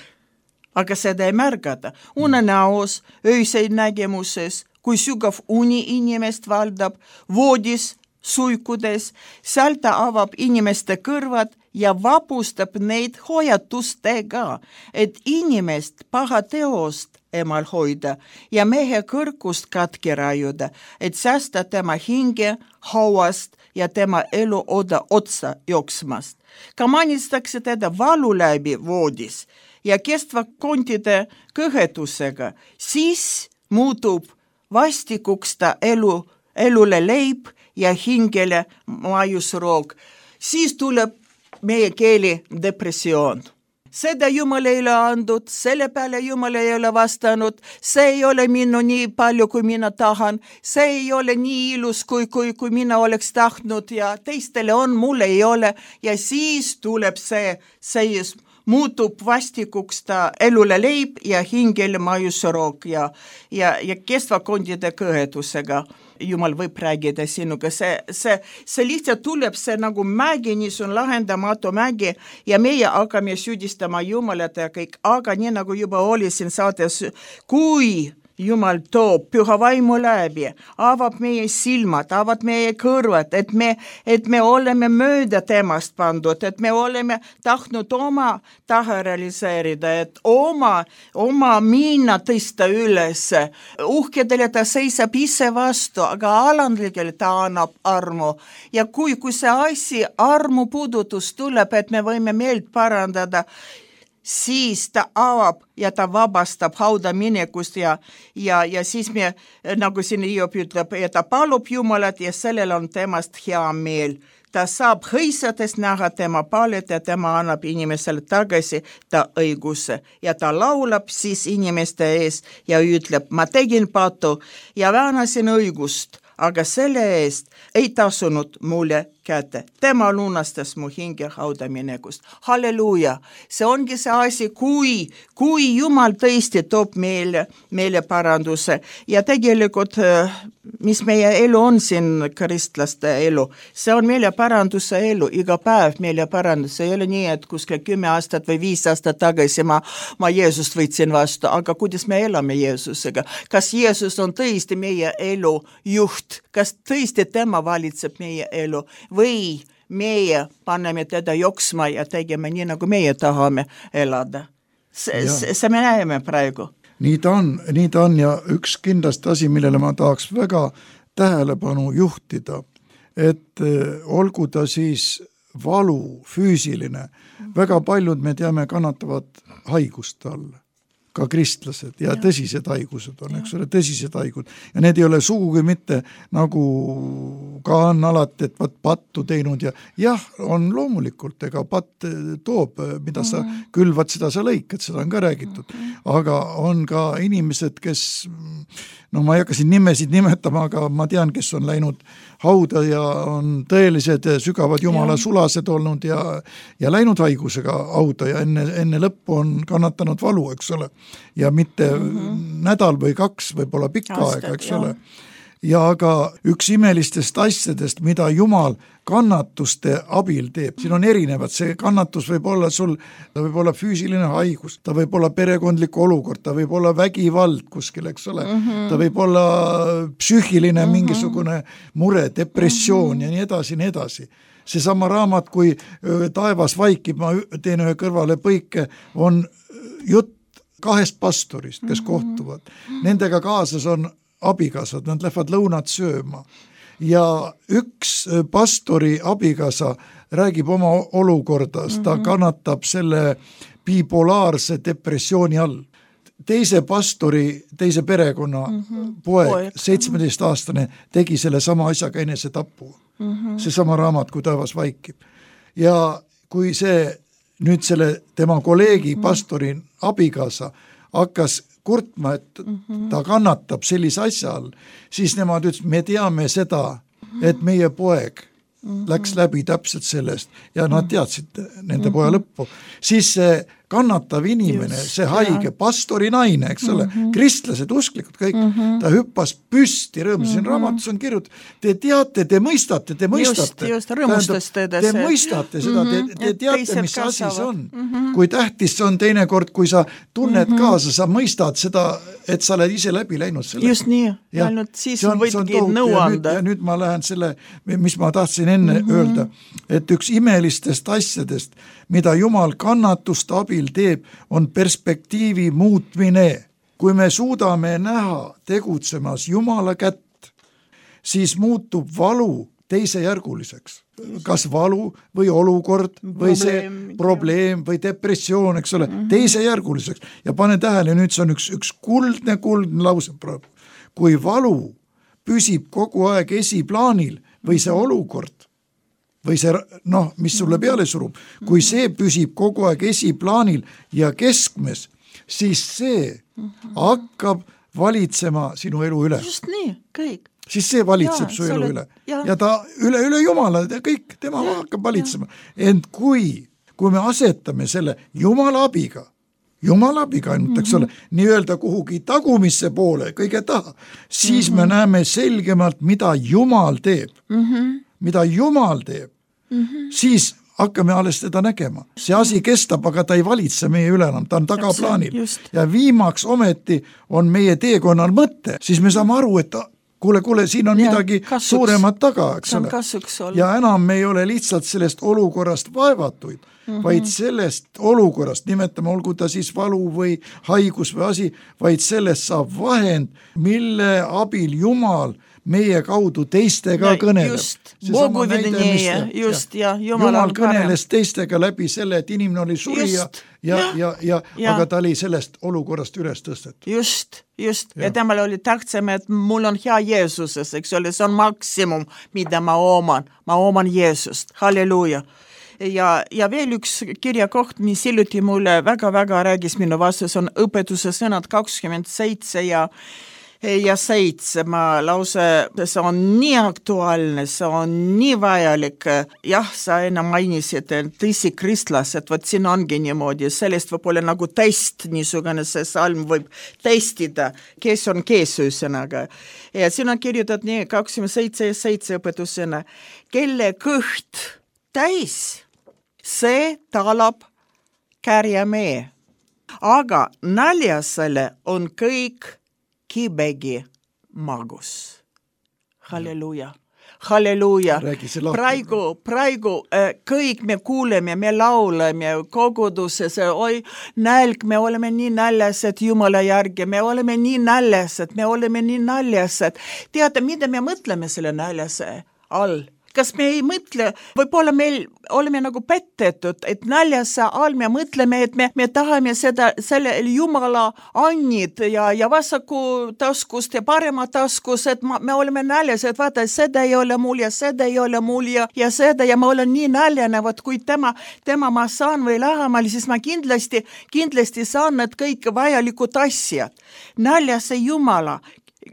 aga seda ei märgata. Unenäos, öiseid nägemuses, kui sügav uni inimest valdab, voodis, suikudes, seal ta avab inimeste kõrvad ja vapustab neid hoiatustega, et inimest paha teost emal hoida ja mehe kõrgust katki rajuda, et säästa tema hinge hauast ja tema elu oda otsa jooksmast. Ka manistakse teda valu läbi voodis ja kestva kontide kõhetusega, siis muutub vastikuks ta elu, elule leib ja hingele maiusroog. Siis tuleb meie keeli depressioon. Seda Jumal ei ole andnud, selle peale Jumal ei ole vastanud, see ei ole minu nii palju, kui mina tahan, see ei ole nii ilus, kui, kui, kui mina oleks tahtnud ja teistele on, mul ei ole ja siis tuleb see, see muutub vastikuks ta elule leib ja hingele maiusroog ja, ja, ja kestvakondide kõhetusega. Jumal võib räägida sinuga, see, see, see lihtsalt tuleb see nagu mägi, nii see on lahendamatu mägi ja meie hakkame süüdistama Jumalat ja kõik, aga nii nagu juba oli siin saates, kui Jumal toob püha vaimu läbi, avab meie silmad, avab meie kõrvad, et me, et me oleme mööda temast pandud, et me oleme tahtnud oma taha realiseerida, et oma, oma miina tõsta üles. Uhkedele ta seisab ise vastu, aga alandlikele ta annab armu. Ja kui, kui see asi armu puudutus tuleb, et me võime meelt parandada, siis ta avab ja ta vabastab hauda minekust ja, ja, ja siis me, nagu siin Hiob ütleb, ja ta palub Jumalat ja sellel on temast hea meel. Ta saab hõisates näha tema palet ja tema annab inimesele tagasi ta õiguse. Ja ta laulab siis inimeste ees ja ütleb, ma tegin patu ja väänasin õigust, aga selle eest ei tasunud mulle kätte. Tema lunastas mu hinge hauda minekust. Halleluuja! See ongi see asi, kui, kui Jumal tõesti toob meile, meile paranduse. Ja tegelikult, mis meie elu on siin, kristlaste elu, see on meile paranduse elu, iga päev meile paranduse. Ei ole nii, et kuskil kümme aastat või viis aastat tagasi ma, ma Jeesust võtsin vastu, aga kuidas me elame Jeesusega? Kas Jeesus on tõesti meie elu juht? Kas tõesti tema valitseb meie elu? Või meie paneme teda joksma ja tegeme nii, nagu meie tahame elada. See, see me näeme praegu. Nii ta on, nii ta on ja üks kindlasti asi, millele ma tahaks väga tähelepanu juhtida, et olgu ta siis valu, füüsiline, väga paljud me teame kannatavad haiguste all. Ka kristlased ja, ja tõsised haigused on, eks ole, tõsised haigud. Ja need ei ole sugugi mitte nagu ka on alati, et vaat pattu teinud ja jah, on loomulikult, ega patt toob, mida sa mm. külvad, seda sa lõikad, seda on ka räägitud. Aga on ka inimesed, kes, no ma ei hakka siin nimesid nimetama, aga ma tean, kes on läinud hauda ja on tõelised sügavad Jumala ja. Sulased olnud ja, ja läinud haigusega hauda ja enne, enne lõppu on kannatanud valu, eks ole. Ja mitte mm-hmm. nädal või kaks, võib-olla pikka Aastad, aega, eks jah. Ole. Ja aga üks imelistest asjadest, mida Jumal kannatuste abil teeb, siin on erinevad, see kannatus võib olla sul, ta võib olla füüsiline haigus, ta võib olla perekondlik olukord, ta võib olla vägivald kuskil, eks ole, mm-hmm. ta võib olla psüühiline mm-hmm. mingisugune mure, depressioon mm-hmm. ja nii edasi, nii edasi. See sama raamat, kui taevas vaikib, ma teen ühe kõrvale põike, on jutt kahest pastorist, kes kohtuvad. Nendega kaasas on abikasad, nad lähevad lõunat sööma. Ja üks pastori abikasa räägib oma olukorda, ta kannatab selle bipolaarse depressiooni all. Teise pastori, teise perekonna mm-hmm. poeg, seitsmeteistaastane, tegi selle sama asjaga enese tapu. Mm-hmm. See sama raamat, kui taevas vaikib. Ja kui see nüüd selle tema kolleegi pastori abikasa hakkas kurtma, et ta kannatab sellise asja all, siis nemad ütles, me teame seda, et meie poeg läks läbi täpselt sellest ja nad teadsid nende poja lõppu. Siis see kannatav inimene, Just, see haige, pastori naine, eks ole, mm-hmm. kristlased, usklikud kõik, mm-hmm. ta hüppas püsti rõõmus, siin mm-hmm. raamatus on kirjut, te teate, te mõistate, te mõistate. Just, just, rõõmustas teda see. Te mõistate seda, mm-hmm. te, te teate, mis asi see on. Mm-hmm. Kui tähtis see on teinekord, kui sa tunned mm-hmm. kaasa, sa mõistad seda, et sa oled ise läbi läinud selle. Just nii, ja, ainult siis on, võidki nõu anda. Ja nüüd ma lähen selle, mis ma tahtsin enne mm-hmm. öelda, et üks imelistest asjadest, mida Jumal kannatuste abil teeb, on perspektiivi muutmine. Kui me suudame näha tegutsemas Jumala kätt, siis muutub valu teisejärguliseks. Kas valu või olukord või probleem, see probleem või depressioon, eks ole, mm-hmm. teisejärguliseks. Ja pane tähele, nüüd see on üks, üks kuldne, kuldne lause praegu. kui valu püsib kogu aeg esiplaanil või see olukord või see, noh, mis sulle peale surub, kui see püsib kogu aeg esiplaanil ja keskmes, siis see hakkab valitsema sinu elu üle. Just nii, kõik. Siis see valitseb ja, su elu oled, üle. Ja. ja ta üle, üle Jumala ja kõik, tema ja, hakkab valitsema. Ja. Ent kui, kui me asetame selle Jumala abiga, Jumala abiga ainult, eks ole, mm-hmm. nii öelda kuhugi tagumisse poole, kõige taha, siis mm-hmm. me näeme selgemalt, mida Jumal teeb. Mm-hmm. Mida Jumal teeb, mm-hmm. siis hakkame alles teda nägema. See asi kestab, aga ta ei valitse meie üle enam, ta on tagaplaanil. Ja viimaks ometi on meie teekonnal mõte, siis me saame aru, et kuule, kuule, siin on ja, midagi kasuks, suuremat taga, eks ole. Ja enam me ei ole lihtsalt sellest olukorrast vaevatuid, mm-hmm. vaid sellest olukorrast, nimetame, olgu ta siis valu või haigus või asi, vaid sellest saab vahend, mille abil Jumal meie kaudu teistega no, kõneleb. Just, Bogu vidinije, just, ja, ja Jumal, Jumal kõneles teistega läbi selle, et inimene oli surija ja, ja, ja, ja, ja aga ta oli sellest olukorrast üles tõstetud. Just, just, ja, ja temal oli tähtsam, et mul on hea Jeesuses, eks ole, see on maksimum, mida ma oman, ma oman Jeesust, halleluuja. Ja, ja veel üks kirjakoht, mis hiljuti mulle väga-väga räägis minu vastus, on õpetuse sõnad kakskümmend seitse ja ja seitse, ma lause, see on nii aktuaalne, see on nii vajalik. Jah, sa enam mainisid, et tõsi kristlased, võt siin ongi niimoodi, sellest võib olla nagu test, niisugune see salm võib testida, kes on kes üsõnaga. Ja siin on kirjutatud nii kakskümmend seitse ja seitse õpetusena, kelle kõht täis, see talab kärjamee, aga naljasele on kõik kibegi magus. Halleluja. Halleluja. Praegu, praegu äh, kõik me kuuleme, me lauleme koguduses, oi nälg, me oleme nii näljased Jumala järgi, me oleme nii näljased, me oleme nii näljased. Teate, mida me mõtleme selle näljase all? Kas me ei mõtle, võib-olla meil oleme nagu pettetud, et näljase all me mõtleme, et me, me tahame seda, selle Jumala annid ja, ja vasaku taskust ja parema taskus, et ma, me oleme näljased, vaata, seda ei ole mul ja seda ei ole mul ja, ja seda ja ma olen nii näljane, vaat kui tema, tema ma saan või lähemal, siis ma kindlasti, kindlasti saan need kõik vajalikud asjad. Näljase Jumala,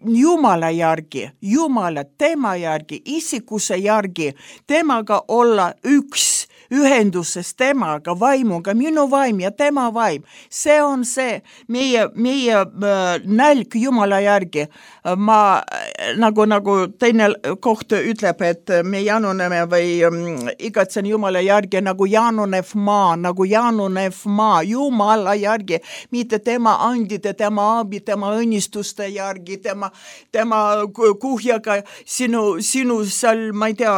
Jumala järgi, Jumala tema järgi, isikuse järgi, temaga olla üks, ühenduses temaga, vaimuga, minu vaim ja tema vaim. See on see meie, meie äh, nälg Jumala järgi. Ma nagu, nagu teine koht ütleb, et me januneme või um, igatsen Jumala järgi nagu janunev maa, nagu janunev maa, Jumala järgi, mitte tema andide, tema abi, tema õnnistuste järgi, tema, tema kuhjaga sinu, sinu seal, ma ei tea,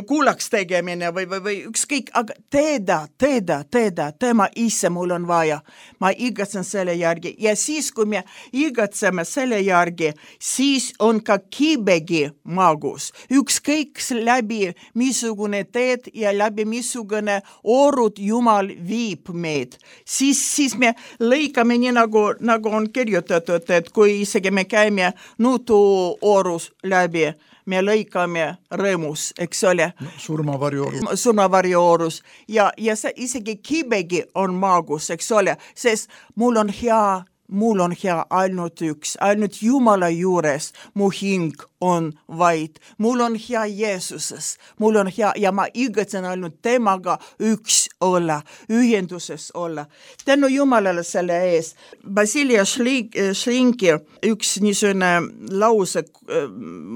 kuulaks tegemine või, või, või üks kõik, aga teeda, teeda, teeda, tema ise mul on vaja. Ma igatsen selle järgi. Ja siis, kui me igatseme selle järgi, siis on ka kibegi magus. Ükskõik läbi missugune teed ja läbi missugune orud Jumal viib meid. Siis, siis me lõikame nii nagu, nagu on kirjutatud, et kui isegi me käime nutu orus läbi, me lõikame rõõmus, eks ole. No, surmavarjoorus. Surmavarjoorus. Ja, ja see isegi kibegi on maagus, eks ole, sest mul on hea, mul on hea ainult üks, ainult Jumala juures mu hing on vaid. Mul on hea Jeesuses, mul on hea ja ma igatsen ainult temaga üks olla, ühenduses olla. Tänu Jumalale selle ees. Basilia Šlinki üks niisugune lause,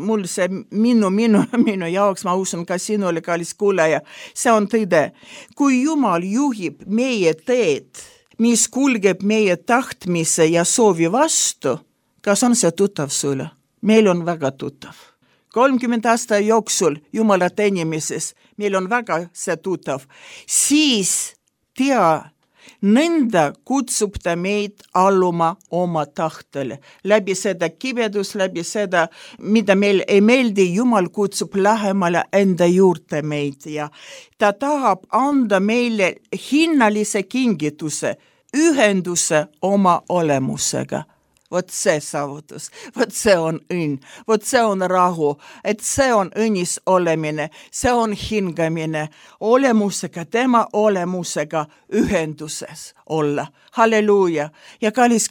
mul see minu, minu, minu jaoks, ma usun ka sinule, kallis kuulaja, see on tõde. Kui Jumal juhib meie teed, mis kulgeb meie tahtmise ja soovi vastu, kas on see tuttav sulle? Meil on väga tuttav. kolmkümmend aasta jooksul Jumala teenimises, meil on väga see tuttav. Siis tea, nõnda kutsub ta meid alluma oma tahtele. Läbi seda kibedus, läbi seda, mida meil ei meeldi, Jumal kutsub lähemale enda juurde meid ja ta tahab anda meile hinnalise kingituse, ühenduse oma olemusega. Vot see saavutus, vot see on õnn, vot see on rahu, et see on õnnis olemine, see on hingamine, olemusega, tema olemusega ühenduses olla. Halleluuja. Ja kallis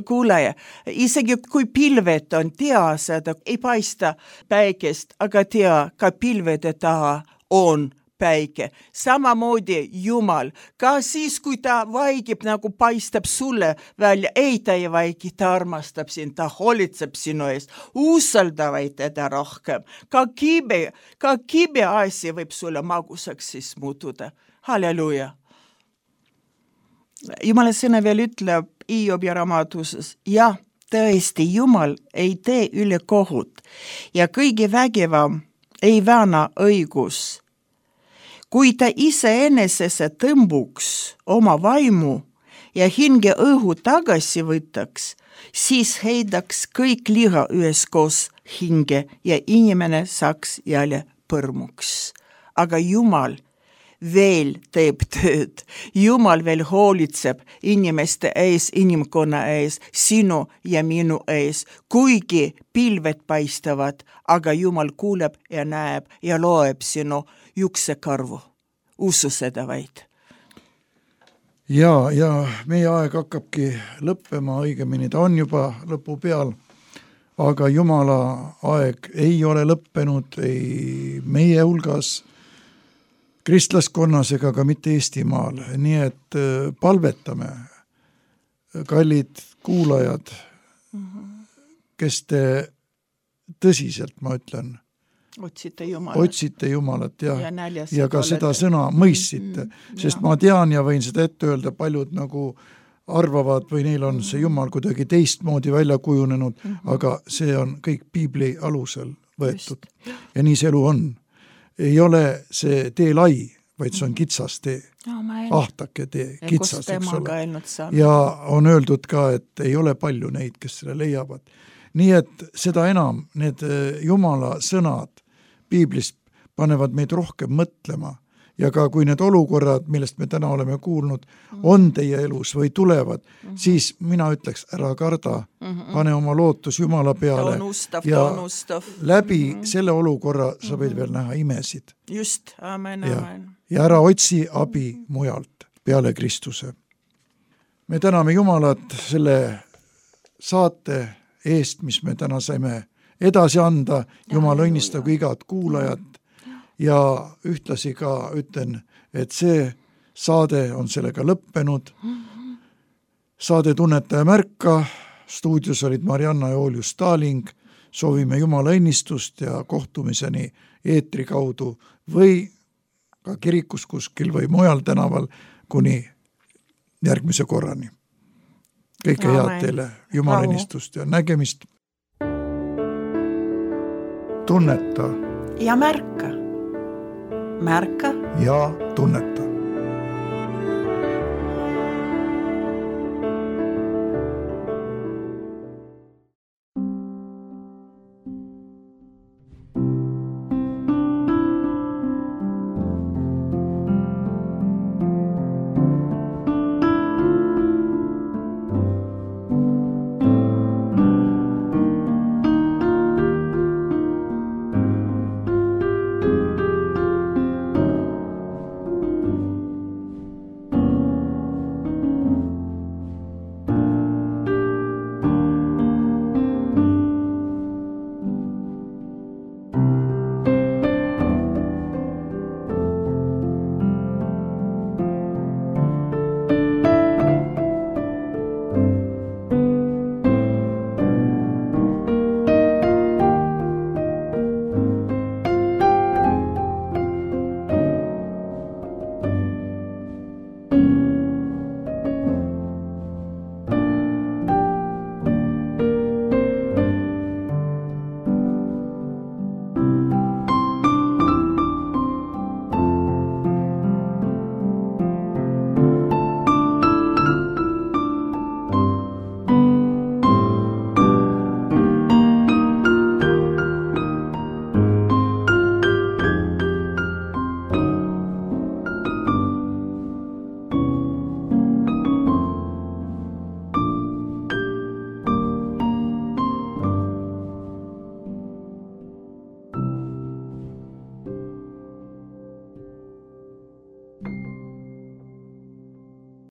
kuulaja, isegi kui pilved on, tea seda, ei paista päikest, aga tea, ka pilvede taha on päike. Samamoodi Jumal, ka siis, kui ta vaigib, nagu paistab sulle välja, ei ta ei vaigi, ta armastab sind, ta hoolitseb sinu eest, usaldavaid teda rohkem. Ka kibe, ka kibe asi võib sulle magusaks siis muutuda. Halleluuja. Jumala sõna veel ütleb Hiobi raamatuses, jah, tõesti, Jumal ei tee üle kohut ja kõige vägevam ei vääna õigus. Kui ta ise enesesse tõmbuks oma vaimu ja hinge õhu tagasi võtaks, siis heidaks kõik liha üheskoos hinge ja inimene saaks jälle põrmuks. Aga Jumal veel teeb tööd. Jumal veel hoolitseb inimeste ees, inimkonna ees, sinu ja minu ees. Kuigi pilved paistavad, aga Jumal kuuleb ja näeb ja loeb sinu juksekarvu. Usu seda vaid. Ja, ja meie aeg hakkabki lõppema, õigemini ta on juba lõpu peal, aga Jumala aeg ei ole lõppenud ei meie hulgas, kristlaskonnas ega ka mitte Eestimaal. Nii et palvetame, kallid kuulajad, kes te tõsiselt, ma ütlen, otsite Jumalat, otsite Jumalat ja, ja, ja ka seda sõna mõistsite, mm, sest ja. Ma tean ja võin seda ette öelda, paljud nagu arvavad või neil on see Jumal kuidagi teistmoodi välja kujunenud, mm-hmm. aga see on kõik piibli alusel võetud. Just. Ja nii see elu on. Ei ole see tee lai, vaid see on kitsas tee. No, ahtake tee, kitsas, eks ole. Ja on öeldud ka, et ei ole palju neid, kes selle leiavad. Nii et seda enam need Jumala sõnad piiblist panevad meid rohkem mõtlema ja ka kui need olukorrad, millest me täna oleme kuulnud, on teie elus või tulevad, mm-hmm. siis mina ütleks, ära karda, mm-hmm. pane oma lootus Jumala peale ustav, ja ustav. läbi mm-hmm. selle olukorra sa võid mm-hmm. veel näha imesid. Just, amen, ja, amen. Ja ära otsi abi mujalt peale Kristuse. Me täname Jumalat selle saate eest, mis me täna saime edasi anda, Jumal õnnistagu igat kuulajat ja ühtlasi ka ütlen, et see saade on sellega lõppenud. Saade Tunnetaja märka, stuudios olid Marianna ja Oljus Staling, soovime Jumala õnnistust ja kohtumiseni eetri kaudu või ka kirikus kuskil või mujal tänaval kuni järgmise korrani. Kõike head teile, Jumala õnnistust ja nägemist. Tunneta ja märka. Märka ja tunneta.